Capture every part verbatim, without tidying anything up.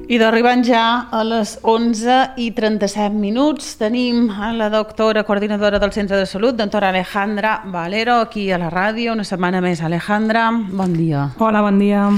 I d'arribant ja a les onze i trenta-set minuts tenim a la doctora coordinadora del Centre de Salut, doctora Alejandra Valero, aquí a la ràdio. Una setmana més, Alejandra. Bon dia. Hola, bon dia.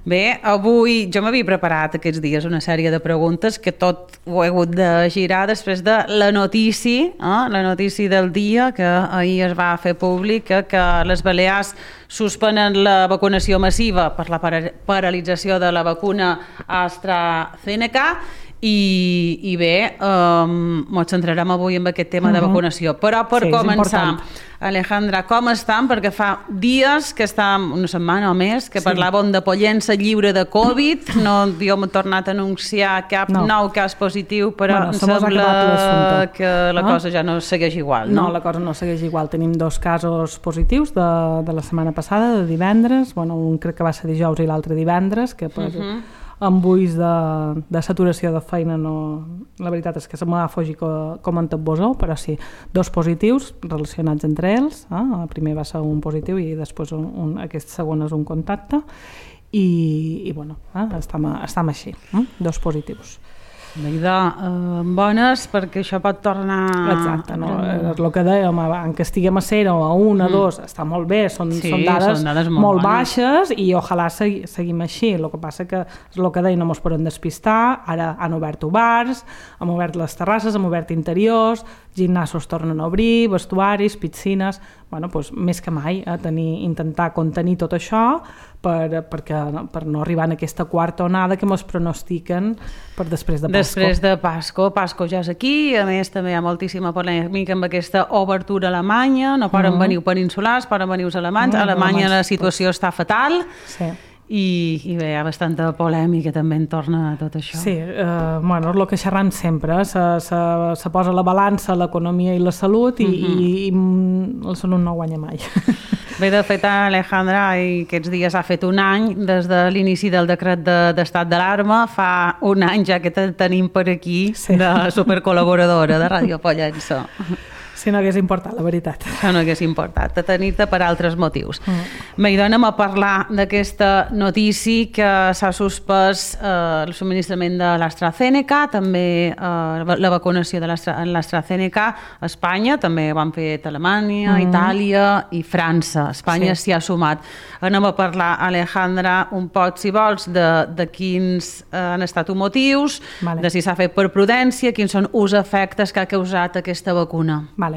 Bé, avui jo m'havia preparat aquests dies una sèrie de preguntes que tot ho he hagut de girar després de la notícia, eh? la notícia del dia que ahir es va fer pública, que les Balears suspenen la vacunació massiva per la paralització de la vacuna AstraZeneca i, i bé, um, ens centrarem avui en aquest tema uh-huh. de vacunació. Però per sí, començar, Alejandra, com estan? Perquè fa dies que estem, una setmana o més, que sí. parlàvem de Pollença lliure de Covid, no havíem tornat a anunciar cap no. nou cas positiu, però bueno, em sembla que la ah? cosa ja no segueix igual, no? No, la cosa no segueix igual. Tenim dos casos positius de, de la setmana passada, de divendres, bueno, un crec que va ser dijous i l'altre divendres, que per... Uh-huh. amb ulls de, de saturació de feina no, la veritat és que se m'ha fugit com, com en tot vosou, però sí, dos positius relacionats entre ells, eh? El primer va ser un positiu i després un, un, aquest segon és un contacte i, i bueno, eh? estem, estem així, eh? dos positius. Idò, eh, bones perquè això pot tornar... Exacte, no? És el que dèiem, que estiguem a zero, a un, a mm. dos, està molt bé, són, sí, són, dades són dades molt, molt baixes i ojalà segui, seguim així. El que passa que és el que dèiem, no ens podem despistar, ara han obert bars, han obert les terrasses, han obert interiors, gimnasos tornen a obrir, vestuaris, piscines... Bueno, doncs, més que mai, eh, tenir, intentar contenir tot això per, perquè, per no arribar en aquesta quarta onada que ens pronostiquen per després de Pasco. Després de Pasco. Pasco ja és aquí, a més també hi ha moltíssima polèmica amb aquesta obertura alemanya, no poden uh-huh. venir peninsulars, poden venir els alemanys, uh-huh. a Alemanya la situació està fatal. Sí. I, i bé, hi ha bastanta polèmica també en torn a tot això. Sí, eh, bueno, és el que xerram sempre, se, se, se posa la balança l'economia i la salut i, uh-huh. i, i la salut no guanya mai. Bé, de fet, Alejandra, aquests dies ha fet un any des de l'inici del decret de, d'estat d'alarma, fa un any ja que te tenim per aquí sí. de supercol·laboradora de Ràdio Pollença. Si no hagués importat, la veritat. Si no hagués importat, de tenir-te per altres motius. Mm. Bé, doncs anem a parlar d'aquesta notícia que s'ha suspès eh, el subministrament de l'AstraZeneca, també eh, la vacunació de l'AstraZeneca a Espanya, també ho han fet Alemanya, mm. Itàlia i França. Espanya sí. s'hi ha sumat. Anem a parlar, Alejandra, un poc, si vols, de, de quins eh, han estat els motius, vale. de si s'ha fet per prudència, quins són els efectes que ha causat aquesta vacuna. Vale.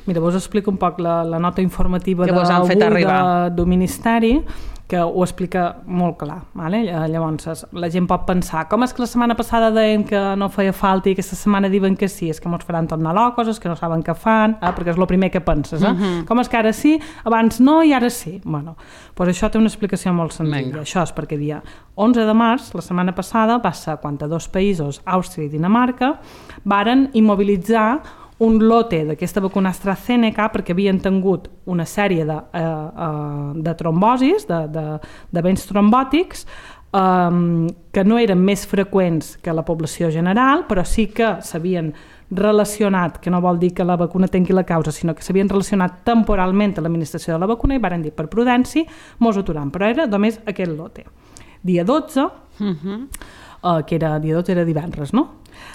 Mira, vos explico un poc la, la nota informativa d'avui del Ministeri, que ho explica molt clar. Vale? Llavors, la gent pot pensar, com és que la setmana passada deien que no feia falta i aquesta setmana diuen que sí? És que ens faran tornar locos, és que no saben què fan, eh? perquè és el primer que penses. Eh? Uh-huh. Com és que ara sí, abans no i ara sí? Bueno, doncs això té una explicació molt senzilla. Venga. Això és perquè dia onze de març, la setmana passada, va ser quan dos països, Àustria i Dinamarca, varen immobilitzar un lote d'aquesta vacuna AstraZeneca perquè havien tingut una sèrie de, eh, eh, de trombosis, de, de, d'events trombòtics, eh, que no eren més freqüents que la població general, però sí que s'havien relacionat, que no vol dir que la vacuna tingui la causa, sinó que s'havien relacionat temporalment a l'administració de la vacuna i varen dir per prudència mos aturam, però era només aquest lote. Dia dotze, uh-huh. eh, que era, dia dotze era divendres, no?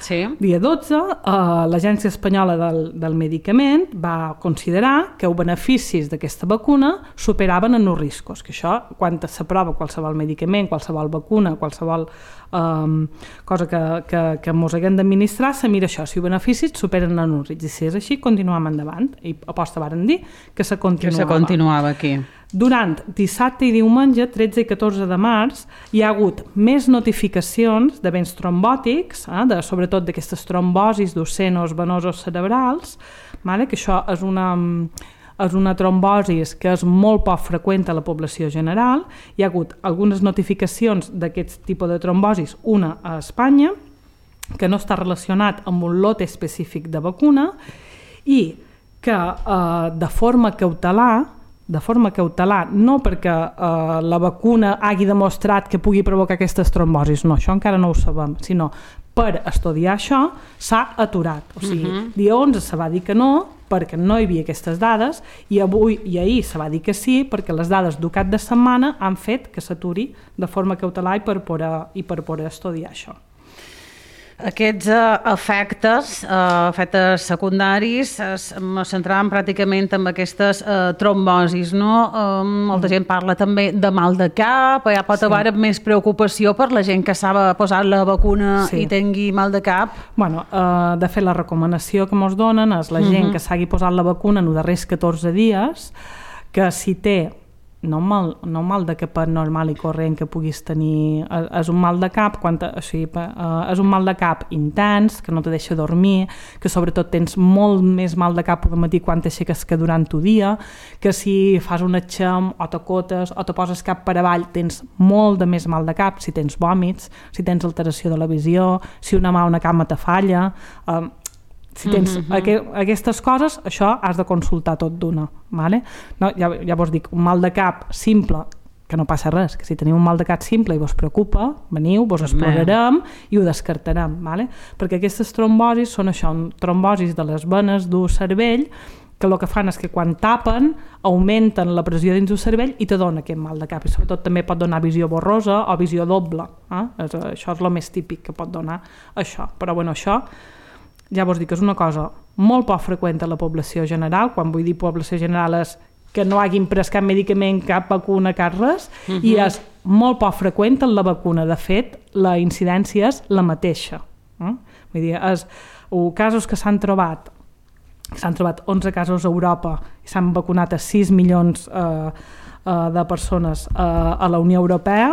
Sí. Dia dotze, eh, l'Agència Espanyola del, del Medicament va considerar que els beneficis d'aquesta vacuna superaven en els riscos, que això, quan s'aprova qualsevol medicament, qualsevol vacuna, qualsevol eh, cosa que, que, que ens haguem d'administrar, se mira això, si els beneficis superen en els riscs, i si és així, continuem endavant, i aposta varen dir que se continuava. Que se continuava aquí. Durant dissabte i diumenge, tretze i catorze de març, hi ha hagut més notificacions d'events trombòtics, eh, de, sobretot d'aquestes trombosis d'ocenos venosos cerebrals, vale? Que això és una, és una trombosi que és molt poc freqüent a la població general. Hi ha hagut algunes notificacions d'aquest tipus de trombosis, una a Espanya, que no està relacionat amb un lot específic de vacuna, i que eh, de forma cautelar, de forma cautelar, no perquè eh, la vacuna hagi demostrat que pugui provocar aquestes trombosis, no, això encara no ho sabem, sinó per estudiar això s'ha aturat. O sigui, uh-huh. dia onze se va dir que no, perquè no hi havia aquestes dades, i avui i ahir se va dir que sí, perquè les dades d'un cap de setmana han fet que s'aturi de forma cautelar i per poder, i per poder estudiar això. Aquests uh, efectes, uh, efectes secundaris, es centraven pràcticament en aquestes uh, trombosis, no? Uh, molta mm. gent parla també de mal de cap, ja pot sí. haver més preocupació per la gent que s'ha posat la vacuna sí. i tingui mal de cap. Bueno, uh, de fet, la recomanació que ens donen és la gent mm-hmm. que s'hagi posat la vacuna en els darrers catorze dies, que si té no un mal, no un mal de cap normal i corrent que puguis tenir, és un mal de cap quan te, o sigui, és un mal de cap intens, que no te deixa dormir, que sobretot tens molt més mal de cap al matí quan t'aixeques que durant el dia, que si fas un atxem o t'acotes o te poses cap per avall tens molt de més mal de cap, si tens vòmits, si tens alteració de la visió, si una mà o una cama te falla, eh, si tens uh-huh. aqu aquestes coses, això has de consultar tot d'una, vale? No, ja, ja vos dic, un mal de cap simple, que no passa res, que si teniu un mal de cap simple i vos preocupa, veniu, vos explorarem i ho descartarem, vale? Perquè aquestes trombosis són això, trombosis de les venes d'un cervell, que el que fan és que quan tapen augmenten la pressió dins del cervell i te dona aquest mal de cap, i sobretot també pot donar visió borrosa o visió doble, eh? Això és el més típic que pot donar això, però bueno, això ja vos dic que és una cosa molt poc freqüent a la població general. Quan vull dir població general és que no hagin pres cap medicament, cap vacuna, cap res, uh-huh. i és molt poc freqüent en la vacuna. De fet, la incidència és la mateixa. Eh? Vull dir, és, o casos que s'han trobat, s'han trobat onze casos a Europa i s'han vacunat a sis milions eh, eh, de persones eh, a la Unió Europea,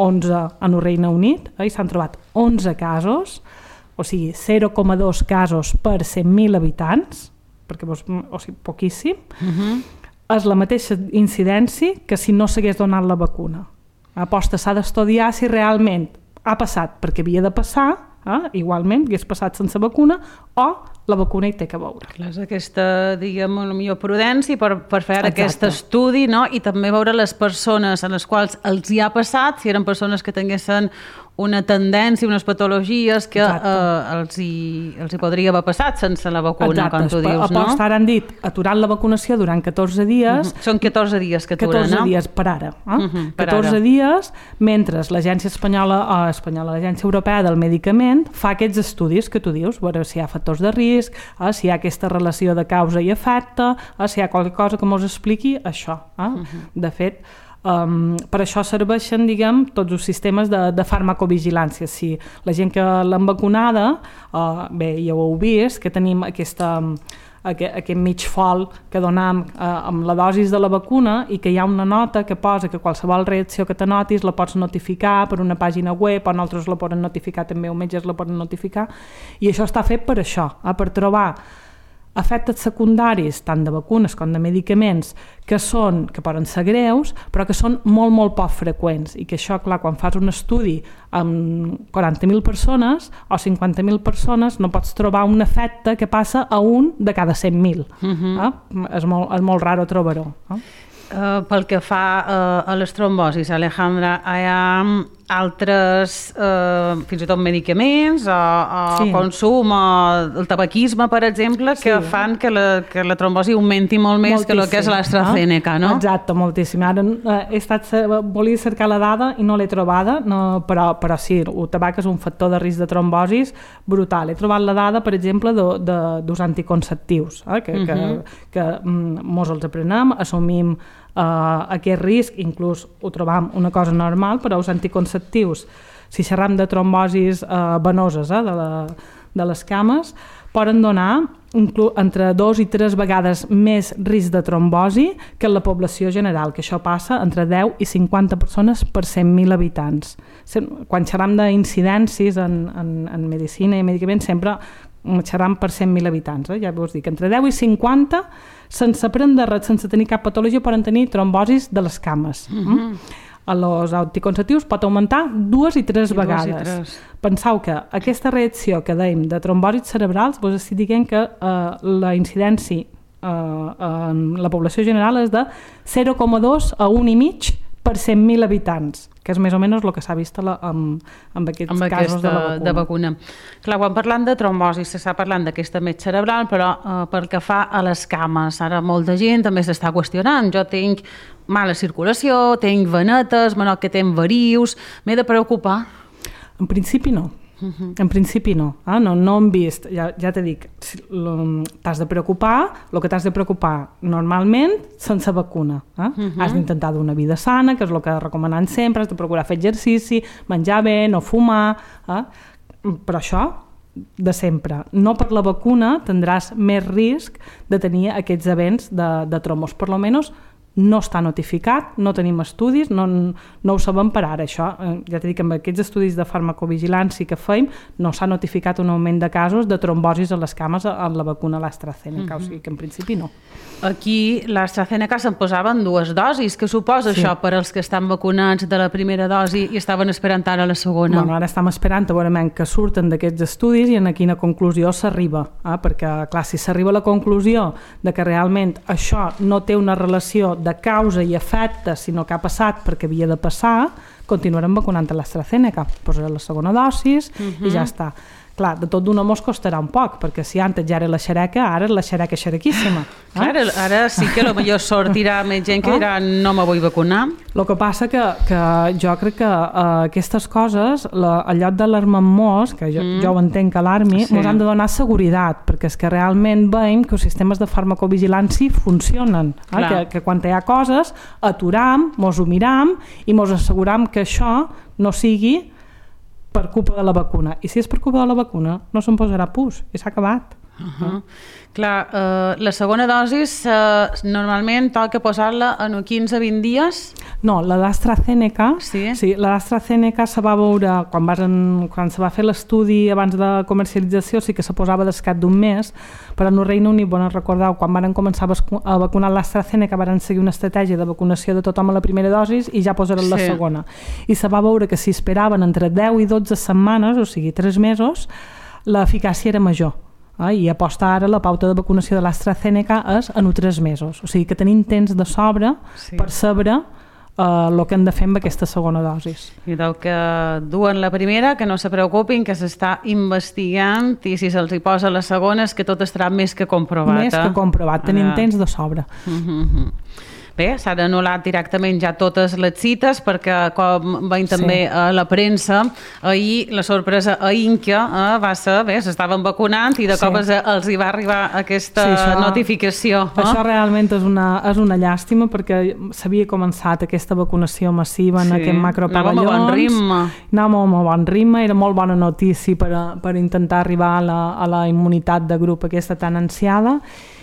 onze en el Regne Unit, eh, i s'han trobat onze casos, o sigui, zero coma dos casos per cent mil habitants, perquè vos, o sigui, poquíssim, uh-huh. és la mateixa incidència que si no s'hagués donat la vacuna. Aposta s'ha d'estudiar si realment ha passat perquè havia de passar, eh? igualment, hagués passat sense vacuna, o la vacuna hi té que veure. Clar, és aquesta, diguem, la millor prudència per, per fer Exacte. Aquest estudi, no? I també veure les persones a les quals els hi ha passat, si eren persones que tinguessin una tendència, unes patologies que eh, els, hi, els hi podria haver passat sense la vacuna, Exacte. Com tu dius, no? Aposta, ara han dit, aturant la vacunació durant catorze dies... Uh-huh. Són catorze dies que aturen, catorze no? dies per ara. Eh? Uh-huh, per catorze ara. dies, mentre l'Agència Espanyola, o espanyola, l'Agència Europea del Medicament fa aquests estudis que tu dius, veure si hi ha factors de risc, eh, si hi ha aquesta relació de causa i efecte, eh, si hi ha qualque cosa que mos expliqui això. Eh? Uh-huh. De fet, Um, per això serveixen, diguem, tots els sistemes de, de farmacovigilància. Si la gent que l'han vacunada, uh, bé, ja ho heu vist, que tenim aquesta, aquest, aquest mig fol que donem uh, amb la dosis de la vacuna i que hi ha una nota que posa que qualsevol reacció que te notis la pots notificar per una pàgina web, o nosaltres la poden notificar també, o metges la poden notificar, i això està fet per això, eh, per trobar efectes secundaris, tant de vacunes com de medicaments, que són, que poden ser greus, però que són molt, molt poc freqüents, i que això, clar, quan fas un estudi amb quaranta mil persones o cinquanta mil persones, no pots trobar un efecte que passa a un de cada cent mil. Uh-huh. eh? És molt, és molt raro trobar-ho. Eh? Uh, pel que fa uh, a les trombosis, Alejandra, hi ha altres, uh, fins i tot medicaments o, o sí. consum, o el tabaquisme, per exemple, que sí. fan que la, que la trombosi augmenti molt més moltíssim. Que el que és l'AstraZeneca, no? Exacte, moltíssim. Ara uh, he estat, volia cercar la dada i no l'he trobada, no, però, però sí, el tabac és un factor de risc de trombosis brutal. He trobat la dada, per exemple, de, de, dels anticonceptius, eh, que, uh-huh. que, que mm, mos els aprenem, assumim Uh, aquest risc, inclús ho trobam una cosa normal, però els anticonceptius, si xerram de trombosis uh, venoses eh, de, la, de les cames, poden donar entre dos i tres vegades més risc de trombosi que en la població general, que això passa entre deu i cinquanta persones per cent mil habitants. Quan xerram d'incidències en, en, en medicina i medicaments, sempre xerram per cent mil habitants, eh? Ja vos dic, entre deu i cinquanta, sense prendre res, sense tenir cap patologia, poden tenir trombosis de les cames. Mm-hmm. mm? A los anticonceptius pot augmentar dues i tres I vegades. I tres. Penseu que aquesta reacció que dèiem de trombòsits cerebrals, vos estic dient que eh, la incidència eh, en la població general és de zero coma dos a un i mig per cent mil habitants, que és més o menys el que s'ha vist la, amb, amb aquests amb casos aquesta, de, la vacuna. de vacuna. Clar, quan parlant de trombosi s'està parlant d'aquesta met cerebral, però eh, pel que fa a les cames, ara molta gent també s'està qüestionant. Jo tinc mala circulació, tinc venetes, menor que tinc varius, m'he de preocupar? En principi no. Uh-huh. En principi no. Eh? No, no hem vist, ja, ja t'he dit, t'has de preocupar, el que t'has de preocupar normalment sense vacuna. Eh? Uh-huh. Has d'intentar d'una vida sana, que és el que recomanem sempre, has de procurar fer exercici, menjar bé, no fumar, eh? Però això de sempre. No per la vacuna tindràs més risc de tenir aquests events de, de trombos, per lo menys no està notificat, no tenim estudis, no, no ho sabem per ara, això. Ja t'he dit que amb aquests estudis de farmacovigilància que feim no s'ha notificat un augment de casos de trombosis a les cames amb la vacuna l'AstraZeneca, mm-hmm. o sigui que en principi no. Aquí l'AstraZeneca se'n posaven dues dosis, què suposa sí. això per als que estan vacunats de la primera dosi i estaven esperant ara la segona? Bueno, ara estem esperant a veure que surten d'aquests estudis i en quina conclusió s'arriba, eh? Perquè clar, si s'arriba a la conclusió de que realment això no té una relació de causa i efecte, sinó que ha passat perquè havia de passar, continuarem vacunant a l'AstraZeneca, posarà la segona dosis uh-huh. i ja està. Clar, de tot d'una mos costarà un poc, perquè si antes ja era la xereca, ara és la xereca xerequíssima. Eh? Ara, ara sí que potser sortirà més gent que dirà no me vull vacunar. El que passa que, que jo crec que uh, aquestes coses, la, al lloc d'alarmar-nos, que jo, mm. jo ho entenc que alarmi, sí. ens han de donar seguretat, perquè és que realment veiem que els sistemes de farmacovigilància funcionen. Eh? Que, que quan hi ha coses, aturam, mos ho miram i mos asseguram que això no sigui per culpa de la vacuna. I si és per culpa de la vacuna, no se'n posarà pus, i s'ha acabat. Uh-huh. Clar, uh, la segona dosis uh, normalment toca posar-la en quinze a vint dies? No, la d'AstraZeneca, sí? Sí, la d'AstraZeneca se va veure, quan, vas en, quan se va fer l'estudi abans de comercialització, sí que se posava d'escat d'un mes, però en el Regne Unit, bon, recordeu, quan van començar a vacunar l'AstraZeneca van seguir una estratègia de vacunació de tothom a la primera dosis i ja posaran sí. la segona. I se va veure que si esperaven entre deu i dotze setmanes, o sigui, tres mesos, l'eficàcia era major. Eh? I aposta ara la pauta de vacunació de l'AstraZeneca és en tres mesos. O sigui que tenim temps de sobre sí. per saber el uh, que hem de fer amb aquesta segona dosis. I del que duen la primera, que no se preocupin, que s'està investigant i si se'ls hi posa la segona és que tot estarà més que comprovat. Més eh? que comprovat, tenim uh, temps de sobre. Uh-huh. Bé, s'han anul·lat directament ja totes les cites perquè, com veiem també sí. a la premsa, ahir la sorpresa a Inca eh, va ser, bé, s'estaven vacunant i de sí. cop els hi va arribar aquesta sí, això, notificació. Eh? Això realment és una, és una llàstima perquè s'havia començat aquesta vacunació massiva en sí. aquest macropavellons. Anàvem a bon ritme. Anàvem a bon ritme, era molt bona notícia per, a, per intentar arribar a la, a la immunitat de grup aquesta tan ansiada.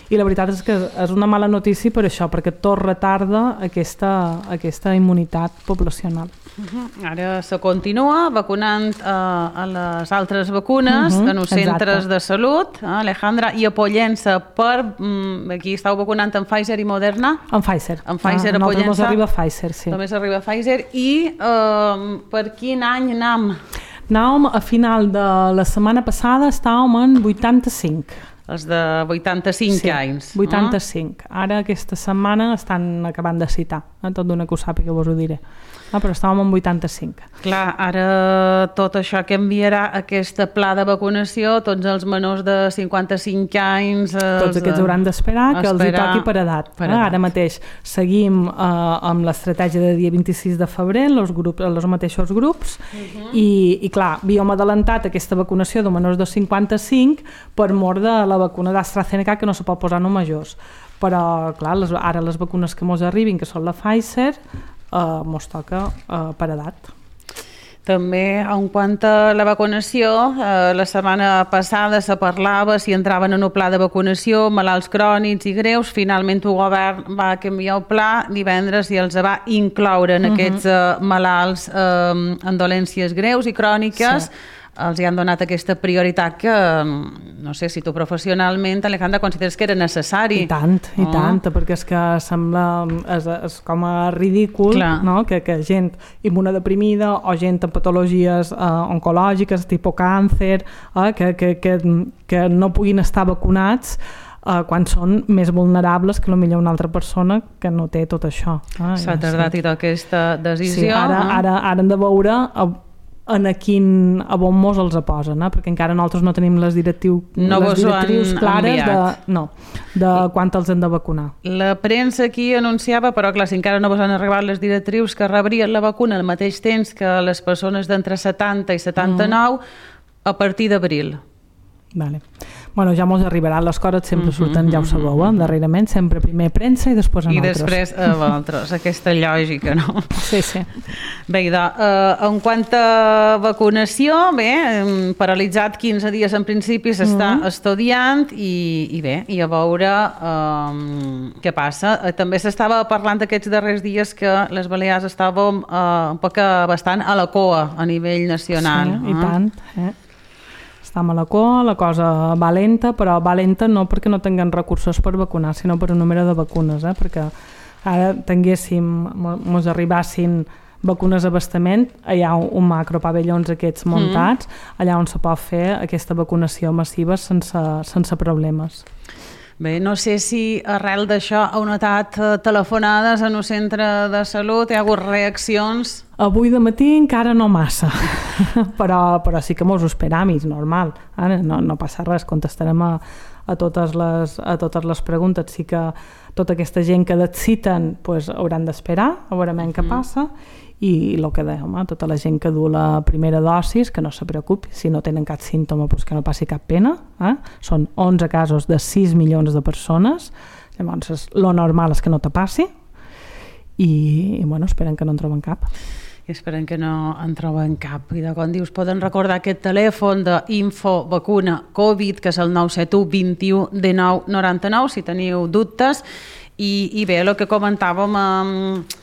I la veritat és que és una mala notícia per això, perquè tot retarda aquesta, aquesta immunitat poblacional. Uh-huh. Ara se continua vacunant uh, a les altres vacunes uh-huh. en els centres Exacte. de salut, uh, Alejandra, i apoyant-se per... Um, aquí estàu vacunant en Pfizer i Moderna? En Pfizer. En Pfizer ah, apoyant-se. Només arriba Pfizer, sí. Només arriba Pfizer. I uh, per quin any anam? Anàvem a final de la setmana passada, estàvem en vuitanta-cinc. Els de vuitanta-cinc sí, anys. vuitanta-cinc. Uh? Ara aquesta setmana estan acabant de citar. Eh? Tot d'una que ho sàpiga vos ho diré. Ah, però estàvem en vuitanta-cinc. Clar, ara tot això que enviarà aquest pla de vacunació, tots els menors de cinquanta-cinc anys... Tots aquests hauran d'esperar que els hi toqui per edat. Per edat. Ara mateix seguim eh, amb l'estratègia de dia vint-i-sis de febrer, els, grups, els mateixos grups, uh-huh. i, i clar, havíem adelantat aquesta vacunació de menors de cinquanta-cinc per mort de la vacuna d'AstraZeneca que no se pot posar en majors. Però, clar, les, ara les vacunes que mos arribin, que són la Pfizer, Uh, mos toca uh, per edat. També, en quant a la vacunació, eh, la setmana passada se parlava si entraven en un pla de vacunació malalts crònics i greus. Finalment el govern va canviar el pla divendres i els va incloure en uh-huh. aquests eh, malalts eh, en dolències greus i cròniques. Sí. Els hi han donat aquesta prioritat que, no sé si tu professionalment, Alejandra, consideres que era necessari. I tant, i oh. tant, perquè és que sembla és, és com a ridícul no? que, que gent immunodeprimida o gent amb patologies eh, oncològiques, tipus càncer, eh, que, que, que, que no puguin estar vacunats Uh, quan són més vulnerables que potser una altra persona que no té tot això. Ah, S'ha tardat sí. i tota aquesta decisió. Sí, ara, eh? ara, ara hem de veure en a quin a bon mos els posen, eh? Perquè encara nosaltres no tenim les, directiu, no les directrius clares de, no, de quant els hem de vacunar. La premsa aquí anunciava, però clar, si encara no vos han arribat les directrius, que rebrien la vacuna al mateix temps que les persones d'entre setanta i setanta-nou, mm. a partir d'abril. Vale. Bueno, ja mos arribaran les coses, sempre surten, ja ho sabeu, eh? Darrerament, sempre primer premsa i després a I altres. I després a altres, aquesta lògica, no? Sí, sí. Bé, idò, eh, en quant a vacunació, bé, paralitzat quinze dies en principi, s'està mm -hmm. estudiant i, i bé, i a veure eh, què passa. Eh, també s'estava parlant aquests darrers dies que les Balears estàvem eh, un poc bastant a la cua a nivell nacional. Sí, i tant, eh? Estem a la cua, la cosa va lenta, però va lenta no perquè no tinguem recursos per vacunar, sinó per un número de vacunes, eh? Perquè ara tinguéssim, mos arribassin vacunes d'abastament, hi ha un macropavellons aquests muntats, mm. allà on se pot fer aquesta vacunació massiva sense, sense problemes. Bé, no sé si arrel d'això heu notat telefonades en un centre de salut, hi ha hagut reaccions? Avui de matí encara no massa, però, però sí que mos ho esperam, és normal, eh? no, no passa res, contestarem a, a, totes les, a totes les preguntes. Sí que tota aquesta gent que et citen pues, hauran d'esperar, a veure què mm. passa, i el que dèiem, eh? tota la gent que du la primera dosis, que no se preocupi, si no tenen cap símptoma, pues que no passi cap pena, eh? Són onze casos de sis milions de persones, llavors lo normal és que no te passi, i, i bueno, esperen que no en troben cap. I esperen que no en troben cap. I de com dius, poden recordar aquest telèfon d'info vacuna Covid, que és el nou set u vint u dinou noranta-nou, si teniu dubtes. I, i bé, el que comentàvem, eh,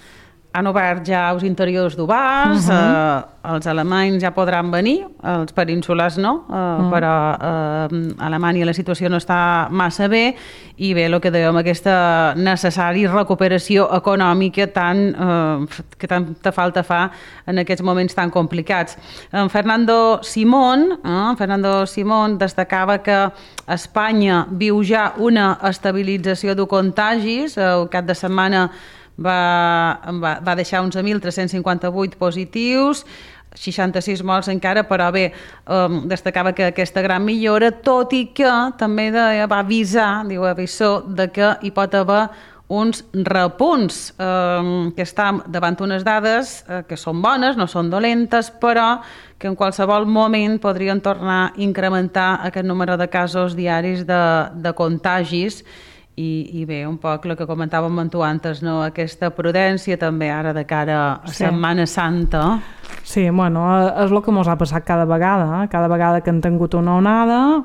han obert ja els interiors d'Ubàs, uh -huh. eh, els alemanys ja podran venir, els peninsulars no, eh, uh -huh. però eh, a Alemanya la situació no està massa bé, i bé, el que dèiem, aquesta necessària recuperació econòmica tan, eh, que tanta falta fa en aquests moments tan complicats. En Fernando Simón, eh, Fernando Simón destacava que Espanya viu ja una estabilització de contagis, el cap de setmana Va, va, va deixar onze mil tres-cents cinquanta-vuit positius, seixanta-sis morts encara, però bé, um, destacava que aquesta gran millora, tot i que també de, va avisar, diu avisor, de que hi pot haver uns repunts, um, que estan davant unes dades uh, que són bones, no són dolentes, però que en qualsevol moment podrien tornar a incrementar aquest número de casos diaris de, de contagis. I, i bé, un poc el que comentàvem amb tu antes, no? Aquesta prudència també ara de cara a sí. Setmana Santa. Sí, bueno, és el que ens ha passat cada vegada, eh? Cada vegada que hem tingut una onada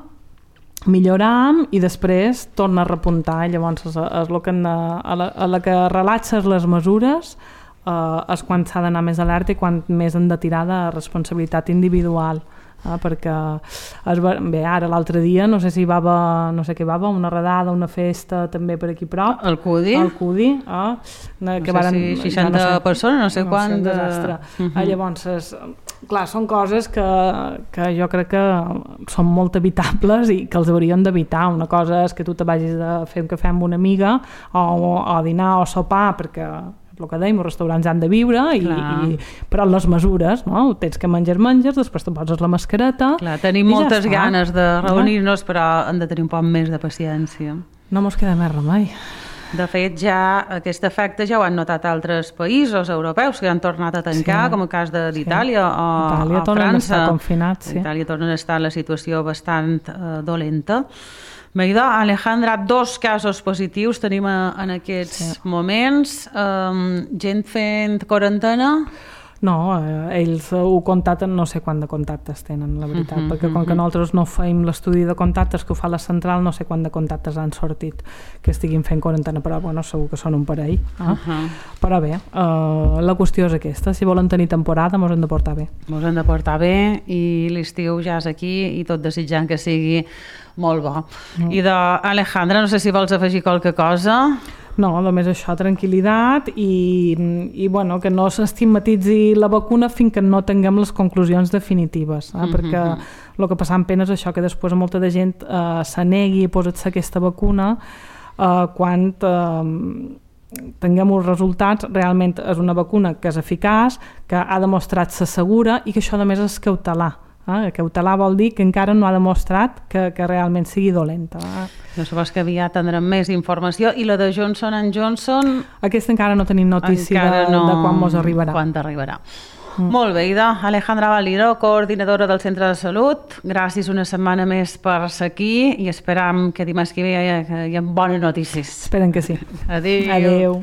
milloram i després torna a repuntar, llavors és, és el que hem de, a, la, a la que relaxes les mesures eh, és quan s'ha d'anar més alerta i quan més hem de tirar de responsabilitat individual. Ah, perquè es va, bé, ara l'altre dia no sé si va haver, no sé què va haver, una redada, una festa també per aquí prop, el Cudi, el Cudi ah, no que sé varen, si seixanta no sé, persones, no sé no quant sé, desastre. De... Uh-huh. ah, llavors és, clar, són coses que, que jo crec que són molt evitables i que els haurien d'evitar. Una cosa és que tu te vagis a fer un cafè amb una amiga o, o a dinar o a sopar, perquè el que dèiem, els restaurants han de viure, i, i, però les mesures, no? Tens que menjar menges, després te poses la mascareta. Clar, tenim moltes ja ganes de reunir-nos, però hem de tenir un poc més de paciència. No mos queda més remei. De fet, ja aquest efecte ja ho han notat altres països europeus que han tornat a tancar, sí, com el cas d'Itàlia sí. o, Itàlia o França. Confinat, sí. Itàlia torna a estar en la situació bastant uh, dolenta. Bé, Alejandra, dos casos positius tenim en aquests sí. moments. Um, gent fent quarantena? No, eh, ells ho contacten, no sé quant de contactes tenen, la veritat, uh -huh, perquè com uh -huh. que nosaltres no fem l'estudi de contactes que ho fa la central, no sé quant de contactes han sortit que estiguin fent quarantena, però bueno, segur que són un parell. Eh? Uh -huh. Però bé, eh, la qüestió és aquesta, si volen tenir temporada mos hem de portar bé. Mos hem de portar bé i l'estiu ja és aquí i tot desitjant que sigui molt bo. Uh-huh. I d'Alejandra, no sé si vols afegir qualque cosa. No, només això, tranquil·litat i, i bueno, que no s'estigmatitzi la vacuna fins que no tinguem les conclusions definitives, eh? Mm-hmm. Perquè el que passa en pena és això, que després molta de gent eh, se negui a posar-se aquesta vacuna eh, quan eh, tinguem els resultats, realment és una vacuna que és eficaç, que ha demostrat ser segura i que això a més és cautelar. Eh? Cautelar vol dir que encara no ha demostrat que, que realment sigui dolenta. Eh? No sabés que aviat tindrem més informació. I la de Johnson and Johnson? Aquesta encara no tenim notícia de, no... de quan mos arribarà. Quan t'arribarà. Mm. Molt bé, Ida. Alejandra Valiro, coordinadora del Centre de Salut. Gràcies una setmana més per ser aquí i esperam que dimarts que ve hi ha, hi ha bones notícies. Esperem que sí. Adéu. Adéu.